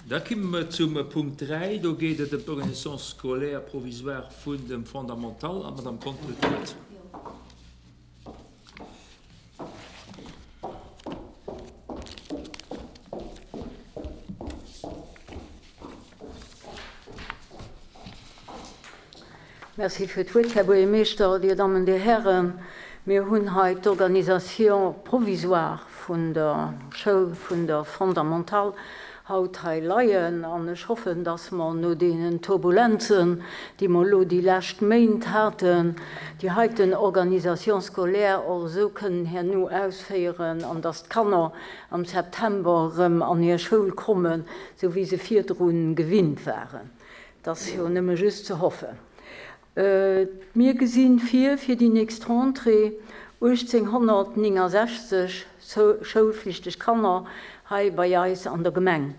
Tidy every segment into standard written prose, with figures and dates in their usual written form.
Da komme mer zum Punkt 3. Do geet et ëm d'Organisation scolaire provisoire vun dem Fondamental. An d'Madame Conter huet d'Wuert. Merci fir d'Wuert, Här Buergermeeschter, Dir Dammen, Dir Hären. Mir hunn hei d'Organisation provisoire vun der Schoul vun der Fondamentale haut hei leien an ech hoffen, dass mer no deenen Turbulenzen, déi mer elo déi lescht Méint haten, déi heiten Organisation scolaire och esou kënnen herno ausféieren an dass d'Kanner am September erëm an hir Schoul kommen, esou wéi se virdru gewinnt waren. Et ass jo nëmme just ze hoffen. Mir gesinn vir, fir déi nächst Rentrée 1869 schoulflichteg Kanner hei bei eis an der Gemeng.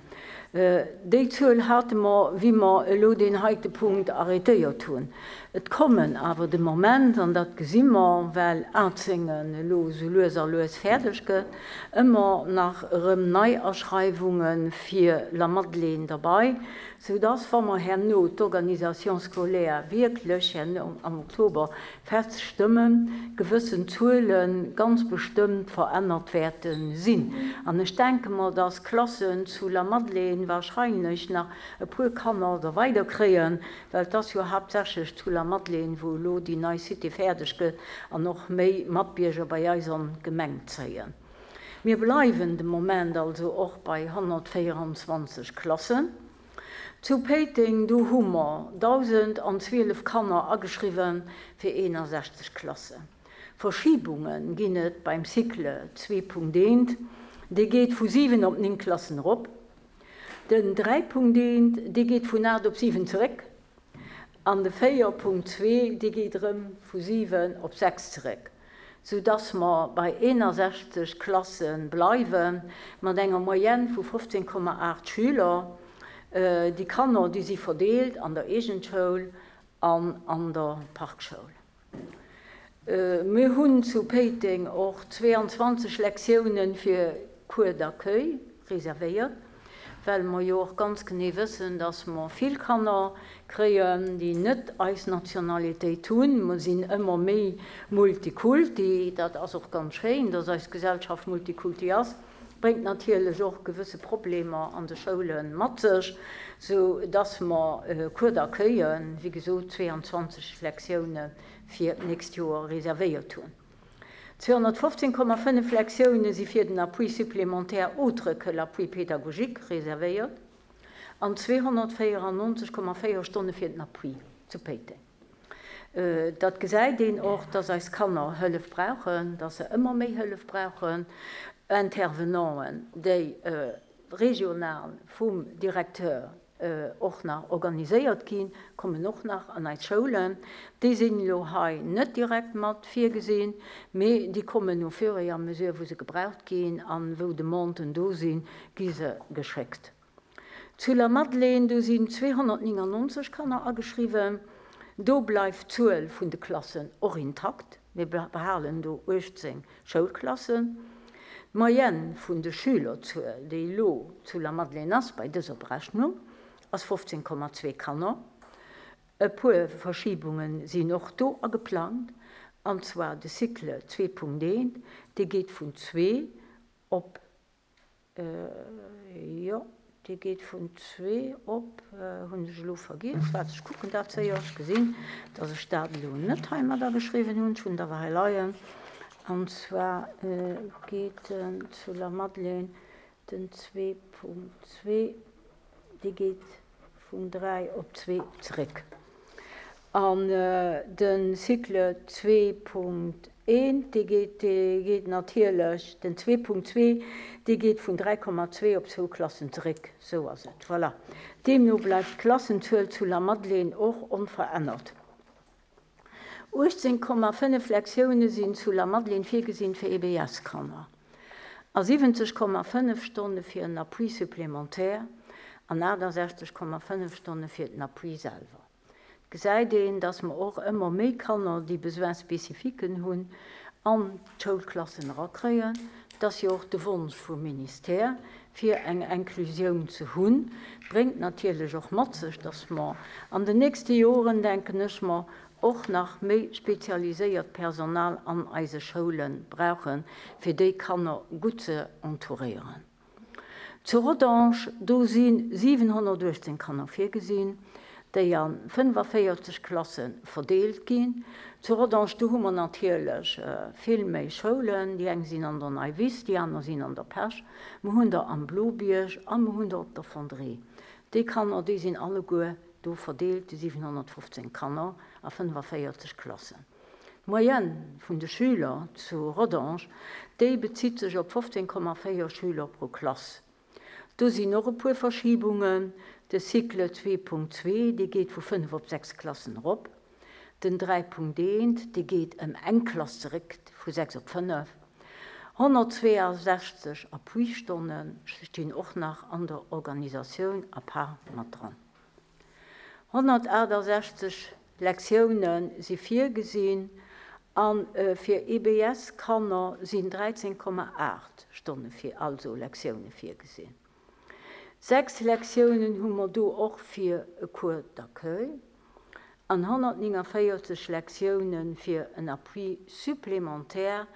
Déi Zuel hate mer, wéi mer elo deen heite Punkt arrêtéiert hunn. Et kommen awer de Moment, an dat gesi mer, well Atzéngen elo esou lues a lues fäerdeg gëtt, ëmmer nach erëm Neiaschreiwunge fir Lamadelaine derbei, Soudass, wa mer herno d'Organisation scolaire wierklech herno am Oktober feststëmmen, gewëssen Zuele ganz bestëmmt verännert wäerte sinn. An ech denke mer, dass d'Klassen zu Lamadelaine wahrscheinlech nach e puer Kanner da weider kréien, well et ass jo haaptsächlech zu Lamadelaine, wou elo déi nei Cité fäerdeg gëtt an och méi Matbierger bei eis an d'Gemeng zéien. Mir bleiwen de Moment also och bei 124 Klassen. Zu Péiteng, do hu mer 1.012 Kanner ageschriwwe fir 61 Klassen. Verschibunge ginn et beim Cycle 2.1, dee geet vu 7 op 9 Klassen erop. Den 3.1, dee geet vun 8 op 7 zeréck. An de 4.2, dee geet erëm vu 7 op 6 zeréck, soudass mer bei 61 Klasse bleiwe mat enger Moyenne vu 15,8 Schüler. Déi Kanner, déi si verdeelt an der Eegentschoul an an der Parkschoul. Mir hunn zu Péiteng och 22 Lektiounen fir Cours d'accueil reservéiert, well mer jo och ganz genee wëssen, dass mer vill Kanner kréien, déi net eis Nationalitéit hunn. Mer sinn ëmmer méi Multikulti. Dat ass och ganz schéin, dass eis Gesellschaft Multikulti ass, bréngt natierlech och gewësse Problemer an de Schoule mat sech, sou dass mer Cours d'accueillen, wéi gesot 22 Lektiounen, fir d'nächst Joer reservéiert hunn. 215,5 Lektioune si fir den Appui supplémentaire autre que l'appui pédagogique reservéiert an 294,4 Stonne fir den Appui zu Péiteng. Dat gesäit een och, dass eis Kanner Hëllef brauchen, dass se ëmmer méi Hëllef brauchen. Intervenanten, déi regional vum Directeur och nach organiséiert ginn, kommen och nach an eis Schoulen. Déi sinn elo hei net direkt mat virgesinn, mee déi kommen au fur et à mesure, wou se gebraucht ginn an wou Demanden do sinn, gi se geschéckt. Zu Lamadelaine, do sinn 299 Kanner ageschriwwen. Do bleift d'Zuel vun de Klassen och intakt. Mir behalen do 18 Schoulklassen. D'Moyenne vun de Schülerzuel, déi elo zu Lamadelaine ass bei dëser Berechnung, ass 15,2 Kanner. E puer Verschibunge sinn och do ageplangt, an zwar de Cycle 2.1, dee geet vun zwee op Jo, dee geet vun zwee op, hunn ech elo vergiess. Waart, ech kucken dat séier. Ech gesinn, datt ech dat elo net hei mat ageschriwwen hunn. Ech hunn et awer hei leien. An zwar geet en zu Lamadelaine, den 2.2, dee geet vun 3 op 2 zeréck. An de Cycle 2.1, dee geet, dee geet natierlech, den 2.2, dee geet vun 3,2 op zwou Klassen zeréck. Esou ass et. Voilà. Deemno bleift d'Klassenzuel zu Lamadelaine och onverännert. 18,5 Lektioune sinn zu Lamadelaine virgesinn fir EBS-Kanner a 70,5 Stonne fir en Appui supplémentaire an 68,5 Stonne fir den Appui selwer. Et gesäit een, dass mer och ëmmer méi Kanner, déi Besoins spécifiquen hunn, an d'Schoulklassen erakréien. Et ass jo och de Wonsch vum Ministère. fir eng Inklusioun ze hunn. Bréngt natierlech och mat sech, dass mer an den nächste Joren, denken ech mer, och nach méi spezialiséiert Personal an eise Schoule brauchen, fir déi Kanner gutt ze entouréieren. Zu Rodange, do si 718 Kanner virgesinn, déi a 45 Klasse verdeelt ginn. Zu Rodange, do hu mer natierlech vill méi Schoulen, déi eng sinn an der Neiwiss, déi aner sinn an der Pesch, mer hunn der am Blobierg a mer hunn der op der Fonderie. Déi Kanner, déi sinn alleguer do verdeelt, déi 715 Kanner a 45 Klassen. D'Moyenne vun de Schüler zu Rodange, déi bezitt sech op 15,4 Schüler pro Klass. Do sinn och e puer Verschibungen, De Cycle 2.2, dee geet vu 5 op 6 Klassen erop. Den 3.1, dee geet ëm eng Klass zeréck, vu 6 op 5. 162 Appuistonne stinn och nach an der Organisatioun à part mat dran. 168 Lektioune si virgesinn a fir EBS-Kanner sinn 13,8 Stonne fir, also Lektioune virgesinn. 6 Lektiounen hu mer do och fir e Cours d'accueil an 149 Lektioune fir en Appui supplémentaire,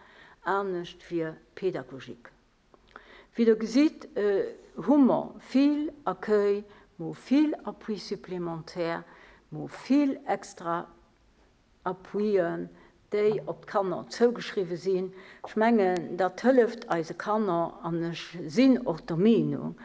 anescht fir pédagogique. Wéi Der gesitt, hu mer vill Accueil, mer hu vill Appui supplémentaire, mer hu vill extra Appuien, déi op d'Kanner zougeschriwwe sinn. Ech mengen, dat hëlleft eise Kanner an ech sinn och der Meenung,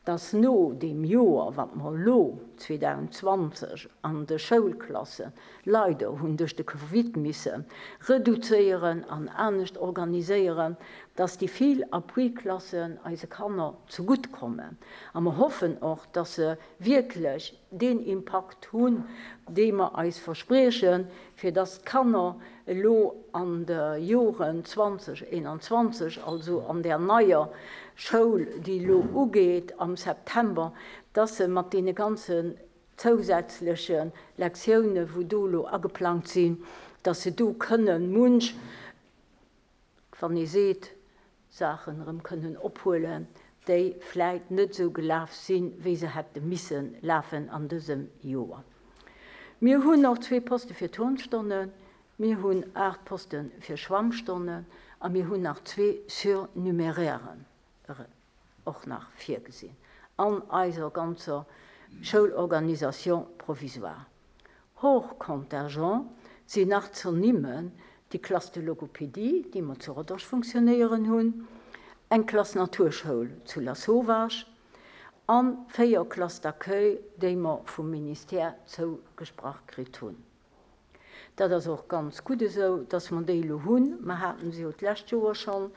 dass no deem Joer, wat mer elo 2020 an de Schoulklasse leider hunn duerch de Covid misse reduzéieren an anescht organiséieren, dass déi vill Appui-Klassen eise Kanner zegutt kommen. A mer hoffen och, dass se wierklech deen Impakt hunn, dee mer eis verspriechen, fir dass d'Kanner elo an de Joren 2021, also an där neier Schoul, déi elo ugeet am September, dass se mat deene ganzen zousätzleche Lektioune wou do elo ageplangt sinn, dass se do kënnen munch, wann ee seet, Saachen erëm kënnen ophuelen, déi vläit net esou gelaf sinn, wéi se hätte misse lafen an dësem Joer. Mir hunn och zwee Poste fir Turnstonnen, mir hunn 8 Poste fir Schwammstonnen a mir hunn nach zwee Surnumerairen och nach virgesinn an eiser ganzer Schoulorganisation provisoire. Hors contingent sinn nach z'ernimmen déi Classe de logopédie, déi mer zu Rodange funktionéieren hunn, eng Klass Naturschoul zu Lasauvage a 4 Classes d'accueil, déi mer vum Ministère zougesprach kritt hunn. Dat ass och ganz gutt esou, dass mer déi elo hunn. Mer haten se jo d'lescht Joer schonn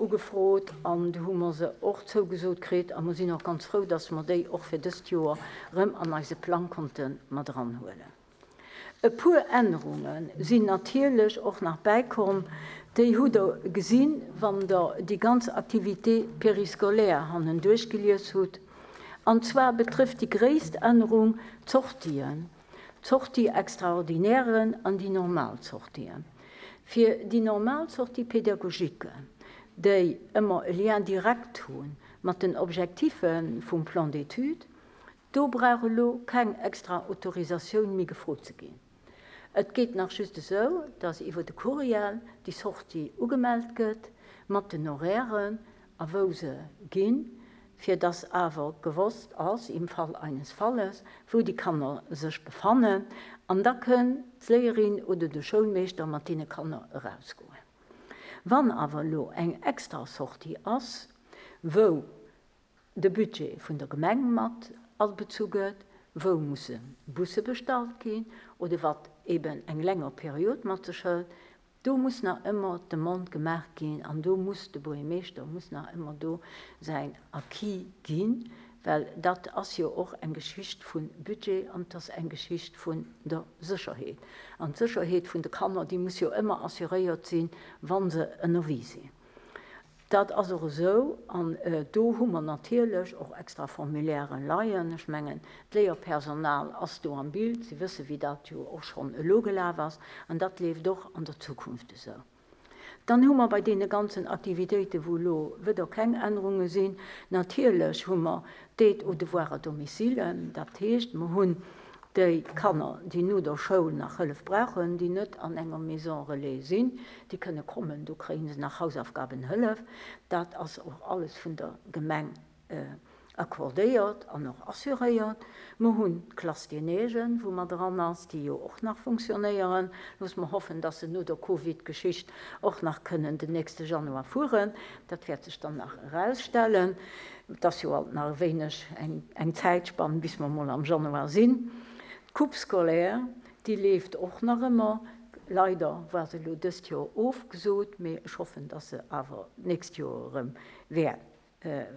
ugefrot an du hu mer se och zougesot kritt. A mer sinn och ganz frou, dass mer déi och fir dëst Joer erëm an eise Plang konnte mat eranhuelen. E puer Ännerunge sinn natierlech och nach bäikomm. Déi hutt Der gesinn, wann Der déi ganz Activités périscolaires hannen duerchgelies hutt. An zwar betrëfft déi gréisst Ännerung d'Sortien. D'Sortie extraordinairen an déi normal Sortien. Fir déi normal Sortie pédagogique, déi ëmmer e Lien direct hu mat den Objectiffe vum Plan d'études, do brauch elo keng extra Autorisatioun méi gefrot ze ginn. Et geet nach just esou, dass iwwer de Courriel déi Sortie ugemellt gëtt mat den Horairen a wou se ginn, fir dass awer gewosst ass, im Fall eines Falles, wou déi Kanner sech befannen, an da kënn d'Léierin oder de Schoulmeeschter mat deene Kanner erausgoen. Wann awer elo eng extra Sortie ass, wou de Budget vun der Gemeng mat abezu gëtt, wou musse Busse bestallt ginn oder wat eben eng länger Period mat sech hëlt, Do muss nach ëmmer d'Demande gemaach ginn an do muss de Buergermeeschter muss nach ëmmer do säin Acquis ginn, well dat ass jo och eng Geschicht vu Budget an et ass eng Geschicht vun der Sécherheet. An d'Sécherheet vun de Kanner, déi muss jo ëmmer assuréiert sinn, wa se ënnerwee sinn. Dat ass och esou an do hu mer natierlech och extra Formulairen leien. Ech mengen, d'Léierpersonal ass do am Bild, si wësse wéi dat jo och schonn elo gelaf ass an dat leeft och an der Zukunft esou. Dann hu mer bei deene ganzen Aktivitéiten, wou elo wëder keng Ännerunge sinn, natierlech hu mer d'Aide aux devoirs à domicile, dat heescht, mer hunn déi Kanner, déi no der Schoul nach Hëllef brauchen, déi net an enger Maison relais sinn, déi kënne kommen, do kréie se nach Hausaufgabenhëllef. Dat ass och alles vun der Gemeng accordéiert an och assuréiert. Mer hunn d'Classe des Neiges, wou mer dran ass, déi jo och nach funktionéieren. Loosse mer hoffen, dass se no der Covid-Geschicht och nach kënnen den nächste Januar fueren. Dat wäert sech dann nach erausstellen. Et ass jo alt nach e wéineg eng Zäitspann, bis mer mol am Januar sinn. D'Coupe scolaire, déi leeft och nach ëmmer. Leider war se elo dëst Joer ofgesot, mee ech hoffen, dass se awer d'nächst Joer erëm wäert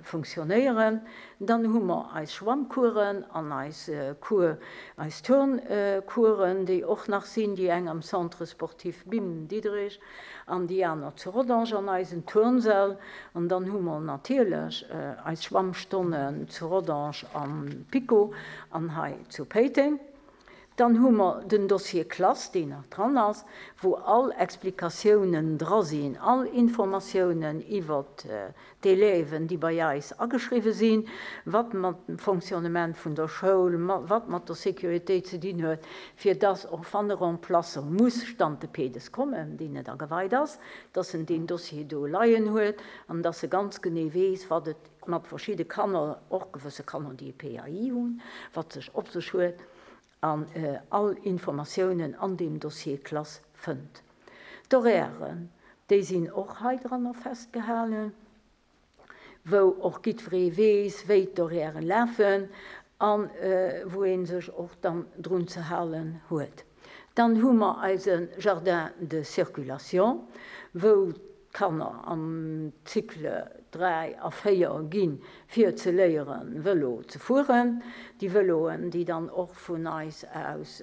funktionéieren. Dann hu mer eis Schwammcoursen an eis Cours, eis Turncoursen, déi och nach sinn, déi eng am Centre sportif Bim Diderich an déi aner zu Rodange an eisen Turnsäll. An dann hu mer natierlech eis Schwammstonnen zu Rodange am PiKo an hei zu Péiteng. Dann hu mer den Dossier Klass, deen nach dran ass, wou all Explikatiounen dra sinn, all Informatiounen iwwert d'Élèven, déi bei eis ageschriwwe sinn, wat mat dem Fonctionnement vun der Schoul, wat mat der Sécuritéit ze dinn huet, fir dass och wann e Remplaçant muss stante pedes kommen, deen net ageweit ass, dass en deen Dossier do leien huet an dass e ganz genee weess, wat et mat verschidde Kanner, och gewësse Kanner, déi e PAI hunn, wat sech op sech huet an all Informatiounen an deem Dossier Klass fënnt. D'Horairen, déi sinn och hei dranner festgehalen, wou och jiddweree weess, wéi d'Horairen lafen a wou ee sech och dann drun ze halen huet. Dann hu mer eise Jardin de circulation, wou d'Kanner am Cycle 3 a 4 ginn, fir ze léieren, Vëlo ze fueren. Déi Vëloen, déi dann och vun eis aus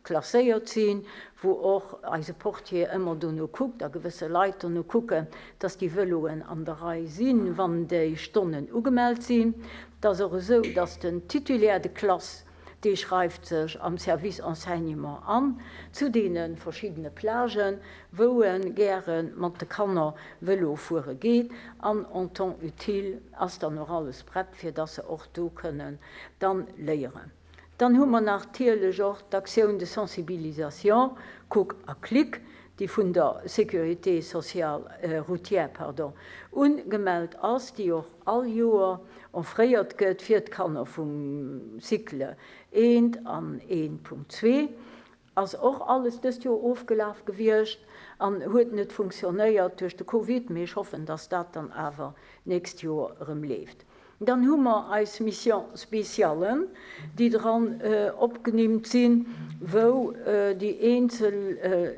klasséiert sinn, wou och eise Portier ëmmer dono kuckt a gewësse Leit dono kucken, dass déi Vëloen an der Rei sinn, wann déi Stonnen ugemellt sinn. Et ass och esou, dass den Titulaire de classe, Dee schreift sech am Service Enseignement an, zu deene verschiddene Plagen, wou e gäre mat de Kanner Vëlo fuere geet. An en temps utile ass dann och alles prett, fir dass se och do kënnen dann léieren. Dann hu mer natierlech och d'Action de sensibilisation Kuck a Klick, déi vun der Sécurité sociale, routière, pardon, ugemellt ass, déi och all Joer offréiert gëtt fir d'Kanner vum Cycle eent an 1.2, ass och alles dëst Joer ofgelaf gewiescht an huet net funktionéiert duerch de Covid, mee ech hoffen, dass dat dann awer d'nächst Joer erëm leeft. Dann hu mer eis Missions spéciales, déi dran opgenimmt sinn, wou déi eenzel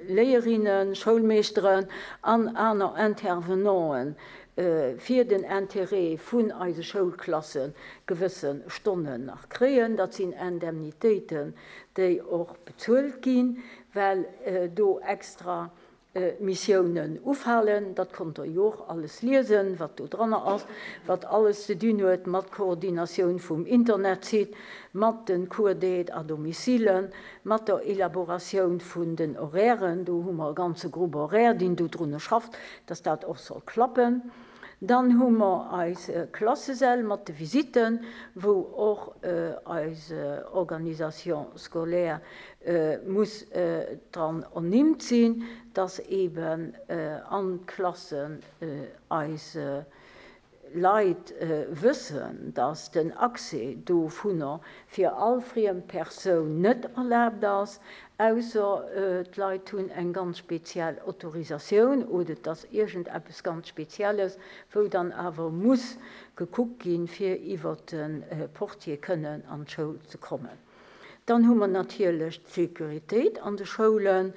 Léierinnen, Schoulmeeschteren an aner Intervenanten fir den Intérêt vun eise Schoulklasse gewësse Stonnen nach kréien. Dat sinn Indemnitéiten, déi och bezuelt ginn, well do extra Missiounen ufalen. Dat konnt Der jo och alles liesen, wat do dranner ass, wat alles ze dinn huet mat Koordinatioun vum Internetsite, mat de Cours d'aide à domicile, mat der Elaboratioun vun den Horairen. Do hu mer e ganze Groupe horaire, deen dodrunner schafft, dass dat och soll klappen. Dann hu mer eis Klassesäll mat de Visitten, wou och eis Organisation scolaire muss dran ernimmt sinn, dass eeben an d'Klassen eis Leit wëssen, dass den Accès dovunner fir all friem Persoun net erlaabt ass, ausser d'Leit hunn eng ganz speziell Autorisatioun oder et ass iergendeppes ganz Spezielles, wou dann awer muss gekuckt ginn, fir iwwert de Portier kënnen an d'Schoul ze kommen. Dann hu mer natierlech d'Sécuritéit an de Schoulen.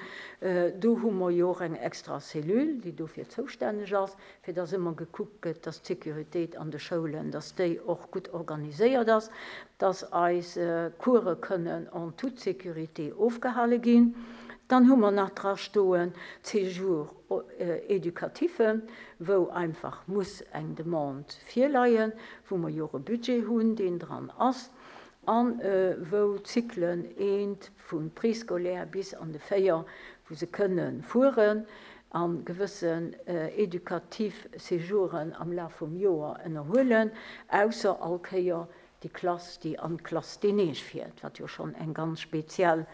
Do hu mer jo och eng extra Cellule, déi dofir zoustänneg ass, fir dass ëmmer gekuckt gëtt, dass d'Sécuritéit an de Schoulen, dass déi och gutt organiséiert ass, dass eis Course kënnen en toute sécurité ofgehale ginn. Dann hu mer nach drastoen d'Séjours éducatifs, wou einfach muss eng Demande virleien, wou mer jo och e Budget hunn, deen dran ass. An wou d'Cyclen eent vum Préscolaire bis an de 4, wou se kënne fueren. A gewëssen educatif Séjouren am Laf vum Joer ënnerhuelen, ausser all Kéier déi Klass, déi an d'Classe des Neiges fiert, wat jo schonn eng ganz speziell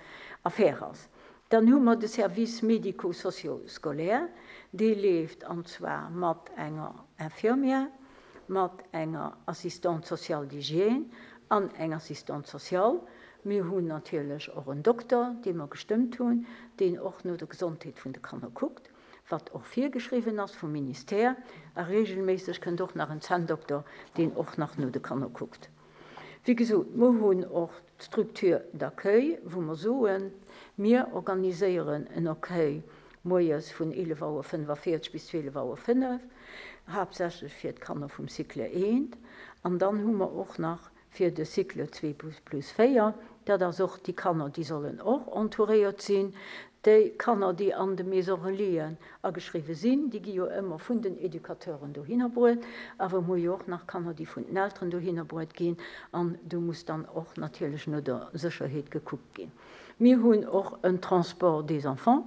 Affär ass. Dann hu mer de Service médico-socio-scolaire, dee leeft an zwar mat enger Infirmière, mat enger Assistante sociale d'hygiène an eng Assistante sociale. Mir hunn natierlech och en Dokter, dee mer gestëmmt hunn, deen och no der Gesondheet vun de Kanner kuckt, wat och virgeschriwwen ass vum Ministère. A regelméisseg kënnt och nach en Zänndokter, deen och nach no de Kanner kuckt. Wéi gesot, mer hunn och d'Structure d'accueil, wou mer soen, mir organiséieren en Accueil moies vun 11 Auer 45 bis 12 Auer 5, haaptsächlech fir d'Kanner vum Cycle I. An dann hu mer och nach fir de Cycle 2 plus 4, dat ass och déi Kanner, déi sollen och entouréiert sinn. Déi Kanner, déi an de Maisons relaisen ageschriwwe sinn, déi gi jo ëmmer vun den Educateuren dohinner bruet. Awer mer hu jo och nach Kanner, déi vun den Elteren dohinner bruet ginn. An do muss dann och natierlech no der Sécherheet gekuckt ginn. Mir hunn och en Transport des enfants,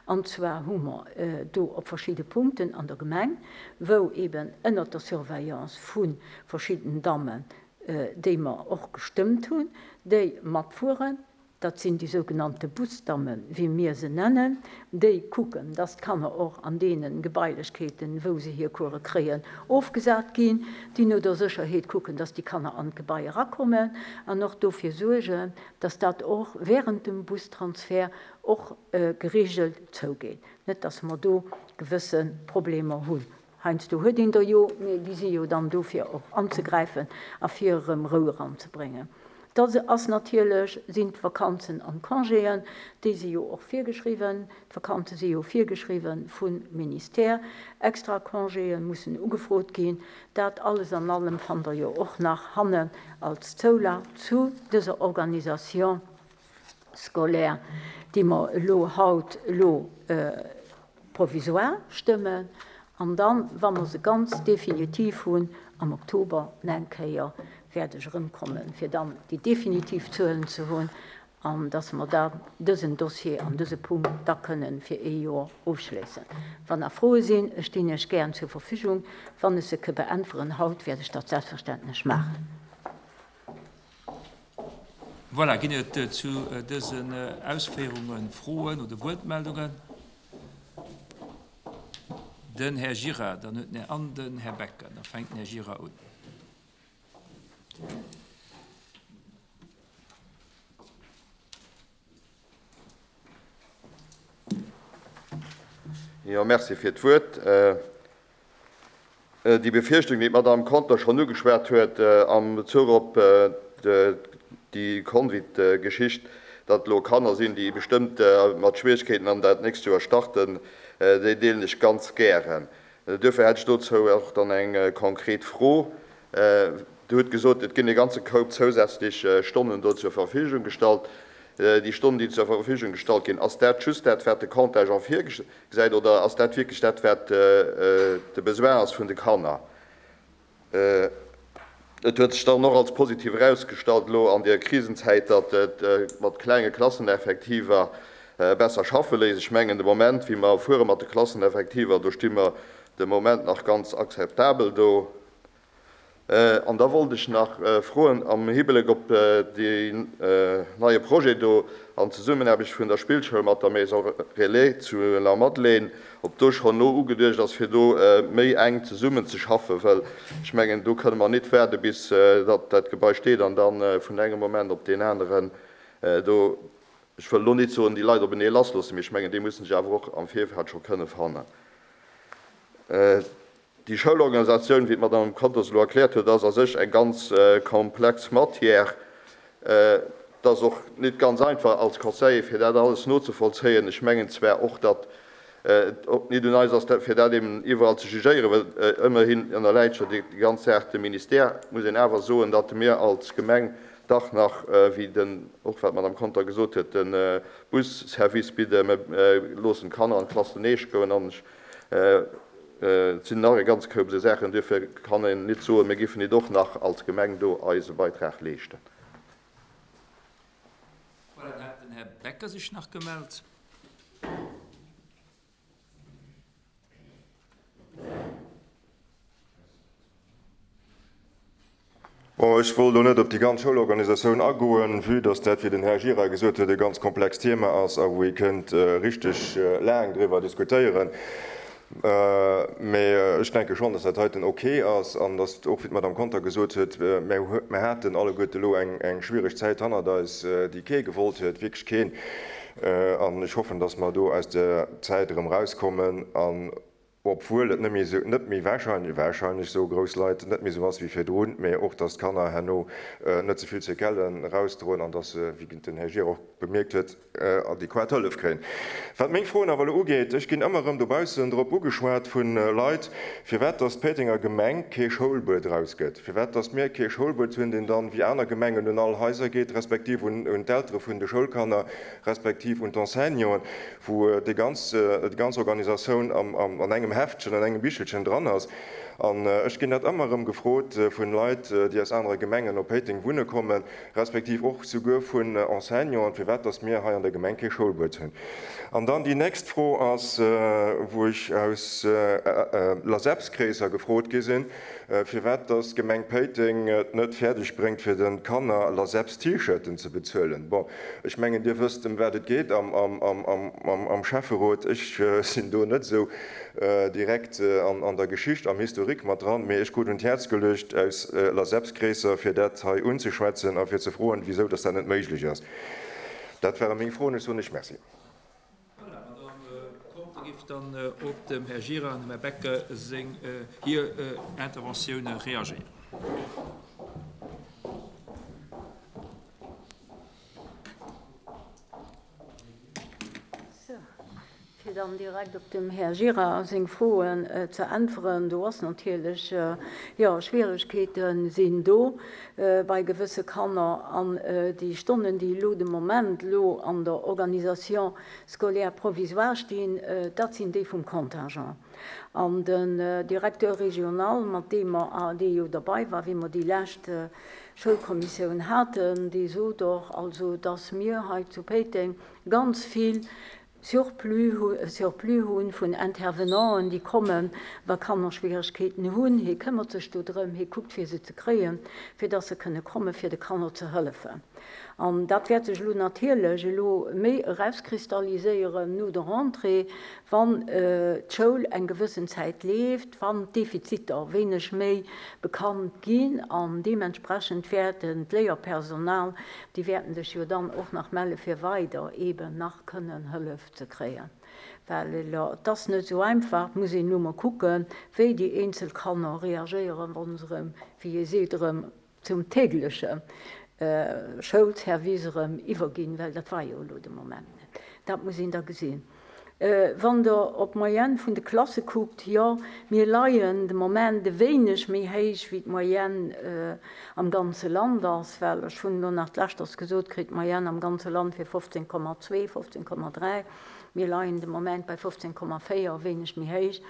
an zwar hu mer do op verschidde Punkten an der Gemeng, wou eben ënnert der Surveillance vu verschidden Dammen, déi mer och gestëmmt hunn, déi matfueren, dat sinn déi sougenannte Busdammen, wéi mir se nennen, déi kucken, dass d'Kanner och an deene Gebailechkeeten, wou se hir Course kréien, ofgesat ginn, déi no der Sécherheet kucken, dass déi Kanner an d'Gebai erakommen an och dofir suergen, dass dat och während dem Bustransfert och geregelt zougeet, net dass mer do gewësse Problemer hunn. Heiansdo huet een der jo, mee déi si jo dann do fir och anzegräifen a fir erëm Rou eranzebréngen. Da ass natierlech, sinn d'Vakanzen an d'Congéen, déi si jo och virgeschriwwen. D'Vakanze si jo virgeschriwwen vum Ministère. Extra Congéë mussen ugefrot ginn. Dat alles an allem fannt Der jo och nach hannen als Zoulag zu dëser Organisation scolaire, déi mer elo haut elo provisoire stëmmen. An dann, wa mer se ganz definitiv hunn, am Oktober nach eng Kéier wäert ech erëmkommen, fir dann déi definitiv Zuelen ze hunn an dass mer da dësen Dossier an dëse Punkt da kënnen fir ee Joer ofschléissen. Wann nach Froe sinn, ech stinn Iech gären zur Verfügung. Wann ech se ke beäntweren haut, wäert ech dat selbstverständlech maachen. Voilà, ginn et zu dësen Ausféierunge Froen oder Wuertmeldungen? Den Här Gira, dann huet den Här an den Här Becker. Da fänkt den Här Gira un. Jo, merci fir d'Wuert. Déi Befierchtung, déi d'Madame Conter schonn ugeschwat huet am Bezuch op déi Convit-Geschicht, datt elo Kanner sinn, déi bestëmmt mat Schwierigkeeten an dat nächst Joer starten, déi deelen ech ganz gären. Duerfir hätt ech dozou och dann eng konkret Fro. Dir hutt gesot, et ginn e ganze Koup zousätzlech Stonnen do zur Verfügung gestallt. Déi Stonnen, déi zur Verfügung gestallt ginn, ass dat just dat, wat de Contingent virgesäit, oder ass dat wierklech dat, wat de Besoin ass vun de Kanner? Et huet sech dann och als positiv erausgestallt elo an der Krisenzäit, datt et mat klenge Klasseneffektiver besser schaffe léisst. Ech mengen, de Moment, wéi mer fuere mat de Klasseneffektiver, do sti mer de Moment nach ganz akzeptabel do. An da wollt ech nach froen am Hibleck op deen neie Projet do an Zesummenaarbecht vun der Spillschoul mat der Maison Relais zu Lamadelaine, ob do schonn elo ugeduecht ass, fir do méi enk zesummenzeschaffen, well ech mengen, do kënne mer nit waarde bis datt dat Gebai steet an da vun engem Moment op deen aneren do, ech wëll elo nit soen, déi Leit openee lassloossen, mee ech mengen, déi mussen sech awer och am Virfeld scho kënne fannen. Déi Schoulorganisatioun, wéi d'Madame Conter se elo erkläert huet, ass a sech eng ganz komplex Matière. Et ass och nit ganz einfach als Conseiller, fir dat alles nozevollzéien. Ech mengen zwar och, datt et och nit un eis ass, fir dat eben iwwerall ze jugéieren, well ëmmerhin ënnerläit jo déi ganz Saach dem Ministère. Et muss een awer soen, datt mir als Gemeng dach nach, wéi den, och wat d'Madame Conter gesot huet, de Busservice bidden. Mir loossen d'Kanner an d'Klass den Eech goen an ech Et sinn nach e ganz Koup esou Saachen. Duerfir kann een nit soen, mir géifen nit och nach als Gemeng do eise Beitrag leeschten. Voilà, dann hat den Här Becker sech nach gemellt. Bon, ech wollt elo net op déi ganz Schoulorganisatioun agoen, vue dass dat, wéi den Här Gira gesot huet, e ganz komplext Thema ass a wou ee kënnt richteg laang driwwer diskutéieren. Mä ech denke schonn, dass dat heiten ok ass an dass och, wéi d'Madame Conter gesot huet, mir haten alleguerte elo eng schwiereg Zäit hannert eis, déi kee gewollt huet, wierklech keen. An ech hoffen, dass mer do aus där Zäit erëm erauskommen an obwuel et net méi esou, net méi wahrscheinlech, wahrscheinlech soe grouss Leit, net méi esou ass wéi virdrun, mä och dass d'Kanner herno net ze vill Séquellen erausdroen an dass se, wéi den Här Gira och bemierkt huet, adequat Hëllef kréien. Wat meng Froen awer elo ugeet, ech ginn ëmmer erëm dobaussen drop ugeschwat vu Leit, firwat dass d'Péitenger Gemeng kee Schoulbuet erausgëtt, firwat dass mir kee Schoulbuet hunn, deen dann, wéi aner Gemengen, un all Haiser geet, respektiv un d'Eltere vun de Schoulkanner, respektiv un d'Enseignanten, wou déi ganz, déi ganz Organisatioun am, am, an engem Heftchen, an engem Bichelchen dran ass. An ech ginn dat ëmmer erëm gefrot vun Leit, déi aus anere Gemengen op Péiteng wunne kommen, respektiv och souguer vun Enseignanten, firwat dass mir hei an der Gemeng kee Schoulbuet hunn. An dann déi nächst Fro ass, wou ech aus LASEPS-Kreesser gefrot gi sinn, firwat dass d'Gemeng Péiteng et net fäerdeg bréngt, fir de Kanner LASEPS-T-Shirten ze bezuelen. Bon, Ech mengen, Dir wësst, ëm wat et geet am Schäfferot. Ech sinn do net esou direkt an der Geschicht, am Historique mat dran, mee ech krut un d'Häerz geluecht aus LASEPS-Kreesser, fir dat hei unzeschwätzen a fir ze froen, wisou dass dat net méiglech ass. Dat ware meng Froen. Ech soen lech Merci. Voilà, Madame Conter géif dann op dem Här Gira an dem Här Becker seng, hir Interventioune reagéieren. Sou, fir dann direkt op dem Här Gira seng Froen ze äntweren, Do ass natierlech, jo, Schwieregkeete sinn do bei gewësse Kanner. An déi Stonnen, déi elo de Moment elo an der Organisation scolaire provisoire stinn, dat sinn déi vum Contingent. An den Directeur régional, mat deem mer, dee jo derbei war, wéi mer déi lescht Schoulkommissioun haten, dee sot och, also dass mir hei zu Péiteng ganz vill Surplus, Surplus hu vun Intervenanten, déi kommen, wa Kanner Schwieregkeeten hunn. Hie këmmert sech do drëm, hie kuckt fir se ze kréien, fir dass se kënne komme fir de Kanner ze hëllefen. An dat wäert sech elo natierlech elo méi erauskristalliséieren no der Rentrée, wann d'Schoul eng gewëssen Zäit leeft, wann d'Defiziter wéineg méi bekannt ginn. An deementsprechend wäerten d'Léierpersonal, déi wäerten sech jo dann och nach melle fir weider eeben nach kënnen Hëllef ze kréien. Well et ass net esou einfach, et muss een elo mol kucken, wéi déi eenzel Kanner reagéieren, wa se erëm, wéi ee seet, erëm zum tägleche Schoulservice erëm iwwerginn, well dat war jo elo de Moment net. Dat muss een da gesinn. Wann Der op d'Moyenne vun de Klasse kuckt, jo, mir leien de Moment e wéineg méi héich wéi d'Moyenne am ganze Land ass, well ech hunn elo nach d'leschters gesot kritt, d'Moyenne am ganze Land wier 15,2, 15,3. Mir leien de Moment bei 15,4, e wéineg méi héich.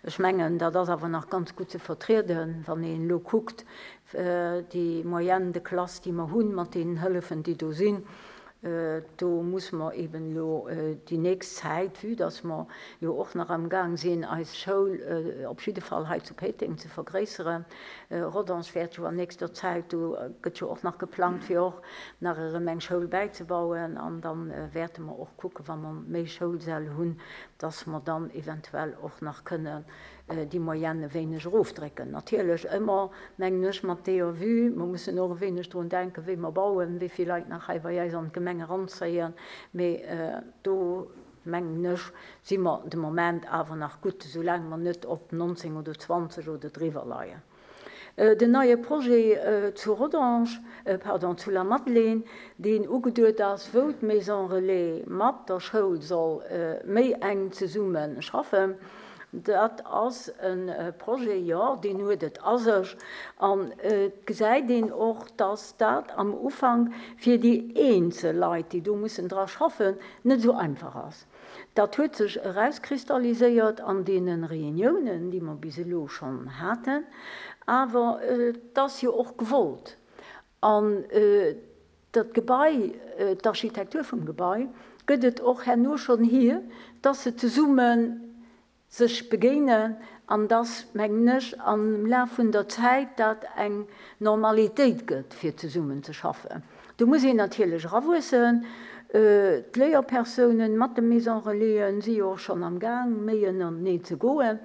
Ech mengen, dat ass awer nach ganz gutt ze vertrieden, wann een elo kuckt, Déi Moyenne de classe, déi mer hunn, mat deenen Hëllefen, déi do sinn, do musse mer eben elo déi nächst Zäit, vue dass mer jo och nach amgaang sinn, eis Schoul op jidde Fall hei zu Péiteng ze vergréisseren, Rodange wäert jo an nächster Zäit, do gëtt jo och nach geplangt, fir och nach erëm eng Schoul bäizebauen, an da wäerte mer och kucken, wa mer méi Schoulsäll hunn, dass mer dann eventuell och nach kënnen déi Moyenne e wéineg erofdrécken. Natierlech ëmmer, mengen ech, mat deeër Vue, mer mussen och e wéineg drun denken, wéi mer bauen, wéi vill Leit nach hei bei eis an d'Gemeng eranzéien. Mee do, mengen ech, si mer de Moment awer nach gutt, soulaang mer net op 19 oder 20 oder driwwer leien. Den neie Projet zu Rodange, pardon, zu Lamadelaine, deen ugeduet ass, wou d'Maison Relais mat der Schoul soll méi enk zesumme schaffen, dat ass e Projet, jo, deen huet et a sech. An et gesäit een och, dass dat am Ufank fir déi eenzel Leit, déi do mussen dra schaffen, net esou einfach ass. Dat huet sech erauskristalliséiert an deene Reuniounen, déi mer bis elo schonn haten. Awer et ass jo och gewollt. An dat Gebai, d'Architektur vum Gebai gëtt et och herno schonn hier, dass se zesumme sech begéinen. An dass, mengen ech, am Laf vun der Zäit dat eng Normalitéit gëtt, fir zesummen ze schaffen. Do muss een natierlech erawuessen. D'Léierpersounen mat de Maison Relaisen si jo och schonn am Gaang, méi ënnerteneen ze goen.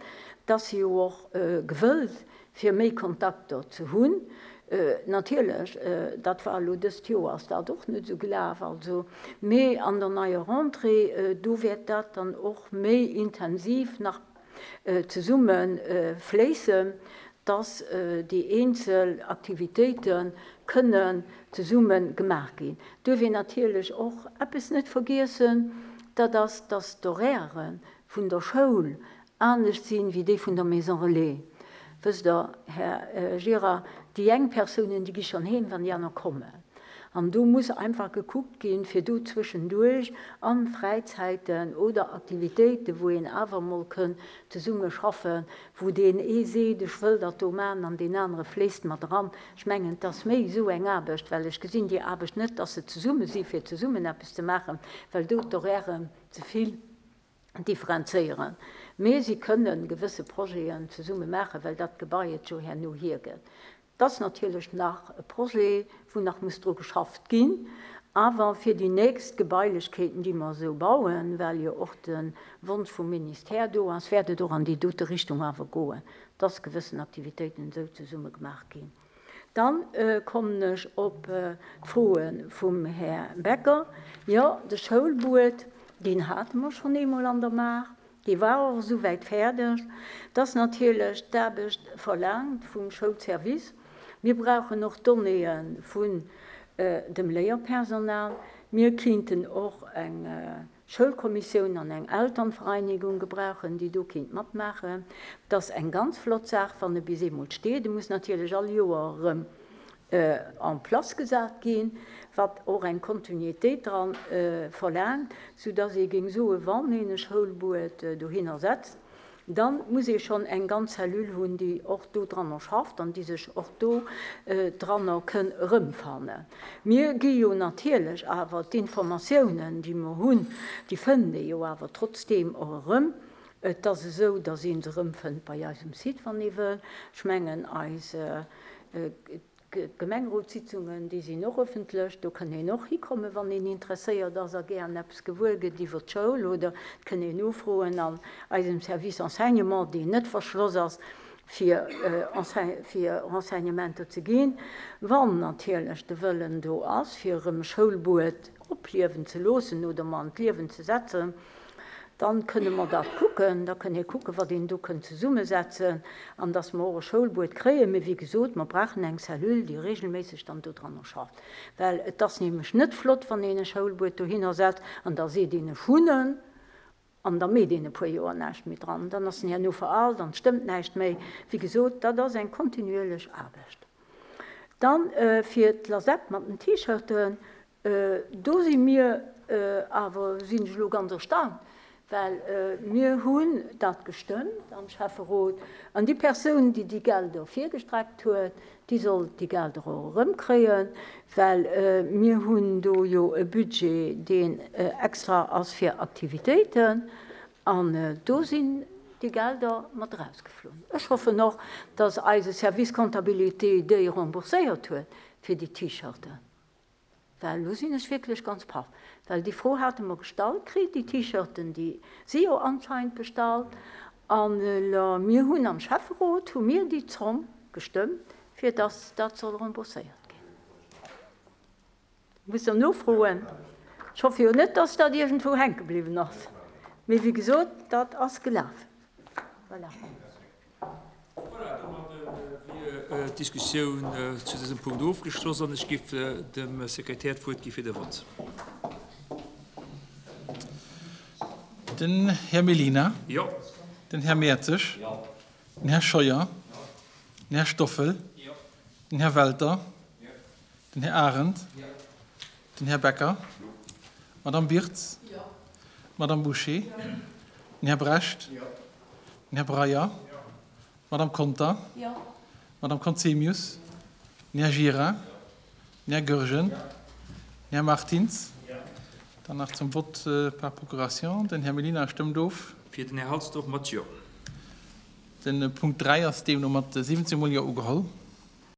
Et ass jo och gewëllt, fir méi Kontakter ze hunn. Natierlech, dat war elo dëst Joer ass dat och net esou gelaf, also, mee an der neier Rentrée, do wäert dat dann och méi intensiv nach zesumme fléissen, dass déi eenzel Aktivitéite kënnen zesumme gemaach ginn. Duerf een natierlech och eppes net vergiessen, dat ass, dass d'Horairë vun der Schoul anescht sinn wéi déi vun der Maison Relais. Wësst Der, Här Gira, déi eng Persounen, déi gi schonn heem, wann déi aner kommen. An do muss einfach gekuckt ginn, fir do zwëschenduerch a Fräizäiten oder Aktivitéiten, wou een awer emol kënn zesumme schaffen, wou deen ee seet, ech wëll dat do maachen an deen anere fléisst mat eran. Ech mengen, et ass méi esou eng Aarbecht, well ech gesinn déi Aarbecht net, dass se zesumme si fir zesummen eppes ze maachen, well do d'Horairen ze vill differenzéieren, mee si kënne gewësse Projeten zesumme maachen, well dat Gebai et jo herno hiergëtt. Et ass natierlech nach e Projet, wou nach muss dru geschafft ginn, awer fir déi nächst Gebailechkeeten, déi mer esou bauen, well jo och de Wonsch vum Ministère do ass, wäert et och an déi dote Richtung awer goen, dass gewëssen Aktivitéiten esou zesumme gemaach ginn. Dann kommen ech op d'Froe vum Här Becker. Jo, de Schoulbuet, deen hate mer schonn eemol an der Maach. Dee war och esouwäit fäerdeg, dass natierlech d'Aarbecht verlaangt vum Schoulservice. Mir brauchen och Donnéeë vun dem Léierpersonal. Mir kinnten och eng Schoulkommissioun an eng Elternvereinigung gebrauchen, déi do kinnt matmaachen. Et ass eng ganz flott Saach, wann e bis eemol steet. E muss natierlech all Joer erëm en place gesat ginn, wat och eng Kontinuitéit dra verlaangt, soudass ee géing soen, wann een e Schoulbuet dohinner setzt, da muss ee schonn eng ganz Cellule hunn, déi och do dranner schafft an déi sech och do dranner kënn erëmfannen. Mir gi jo natierlech awer d'Informatiounen, déi mer hunn, déi fënnt ee jo awer trotzdeem och erëm. Et ass esou, dass ee se erëmfënnt bei eis um Site, wann ee wëll. Ech mengen, eis D'Gemengerotssitzungen, déi sinn och ëffentlech. Do kënn een och hikommen, wann een interesséiert ass a gären eppes gewuer gëtt iwwer d'Schoul. Oder et kënn een nofroen an eisem Service Enseignement, deen net verschloss ass, fir fir Renseignementer ze ginn. Wann natierlech de Wëllen do ass, fir erëm e Schoulbuet opliewen ze loossen oder mer an d'Liewen ze setzen, Dann kënne mer dat kucken, da kënn ee kucken, wat een do kënnt zesummesetzen an dass mer och e Schoulbuet kréien. Mee wéi gesot, mer brauchen eng Cellule, déi regelméisseg dann dodranner schafft, well et ass nämlech net flott, wann een e Schoulbuet dohinner setzt an da seet een, ech hunn en, an da meet een e puer Joer näischt méi dran. Dann ass en herno veraalt an et stëmmt näischt méi. Wéi gesot, dat ass eng kontinuierlech Aarbecht. Dann fir d'Lasep mat den T-Shirten, Do si mir awer, sinn ech elo ganz erstaunt, well mir hunn dat gestëmmt am Schäfferot an déi Persoun, déi déi Gelder virgestreckt huet, déi soll déi Gelder och erëmkréien, well mir hunn do jo e Budget, deen extra ass fir Aktivitéiten an do sinn déi Gelder mat erausgeflunn. Ech hoffen och, dass eise Service Comptabilité déi rembourséiert huet fir déi T-Shirten. Well elo sinn ech wierklech ganz paff, well déi Fro hate mer gestallt kritt, déi T-Shirten, déi si jo anscheinend bestallt. An elo, mir hunn am Schäfferot, hu mir déi Zomm gestëmmt, fir dass dat soll rembourséiert ginn. Musst Der nofroen. Ech hoffe jo net, dass dat iergendwou hänke bliwwen ass. Mee wéi gesot, dat ass gelaf. Voilà. Voilà, domadde wier d'Diskussioun zu dësem Punkt ofgeschloss an ech géif dem Sekretär d'Wuert gi fir de Vott. Den Här Mellina. Jo. Den Här Mertzig. Jo. Den Här Scheuer. Jo. Den Här Stoffel. Jo. Den Här Welter. Jo. Den Här Arendt. Jo. Den Här Becker. Jo. D'Madame Birtz. Jo. D'Madame Bouché. Jo. Den Här Brecht. Jo. Den Här Breyer. D'Madame Conter. D'Madame Conzemius. Den Här Gira. Den Här Goergen. Den Här Martins. Dann nach zum Vote par procuration. Den Här Mellina stëmmt of. Fir den Här Halsdorf mat Jo. De Punkt 3 ass deemno mat 17 mol Jo ugeholl.